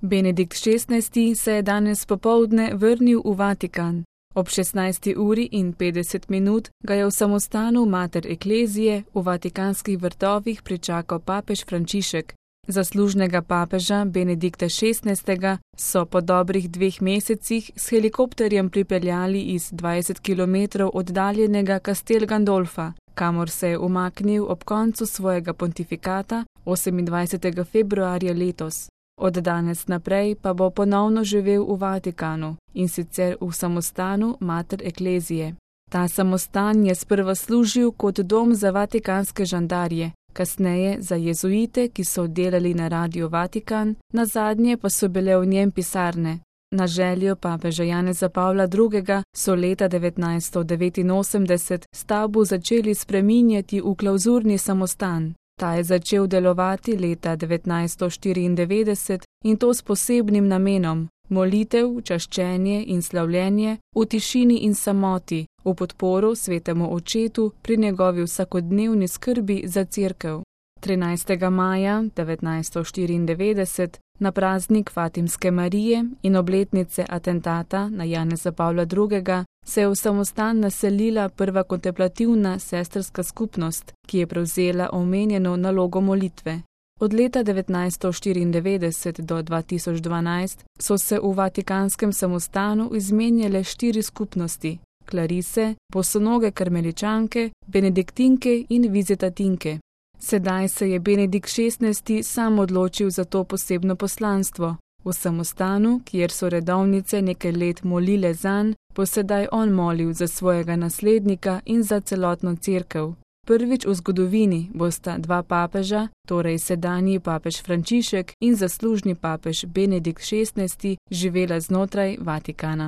Benedikt XVI se je danes popoldne vrnil v Vatikan. Ob 16:50 ga je v samostanu Mater Ecclesiae v Vatikanskih vrtovih pričakal papež Frančišek. Zaslužnega papeža Benedikta XVI so po dobrih 2 mesecih s helikopterjem pripeljali iz 20 km oddaljenega Castel Gandolfa, kamor se je umaknil ob koncu svojega pontifikata 28. februarja letos. Od danes naprej pa bo ponovno živel v Vatikanu, in sicer v samostanu Mater Ecclesiae. Ta samostan je sprva služil kot dom za vatikanske žandarje, kasneje za jezuite, ki so delali na Radiu Vatikan, nazadnje pa so bile v njem pisarne. Na željo papeža Janeza Pavla II. So leta 1989 stavbo začeli spreminjati v klavzurni samostan. Ta je začel delovati leta 1994 in to s posebnim namenom: molitev, čaščenje in slavljenje v tišini in samoti, v podporo svetemu očetu pri njegovi vsakodnevni skrbi za cerkev. 13. maja 1994, na praznik Fatimske Marije in obletnice atentata na Janeza Pavla II., se je v samostan naselila prva kontemplativna sestrska skupnost, ki je prevzela omenjeno nalogo molitve. Od leta 1994 do 2012 so se v vatikanskem samostanu izmenjale 4 skupnosti: Klarise, bosonoge karmeličanke, benediktinke in vizitatinke. Sedaj se je Benedikt XVI sam odločil za to posebno poslanstvo. V samostanu, kjer so redovnice nekaj let molile zanj, bo sedaj on molil za svojega naslednika in za celotno cerkev. Prvič v zgodovini bosta 2 papeža, torej sedanji papež Frančišek in zaslužni papež Benedikt XVI, živela znotraj Vatikana.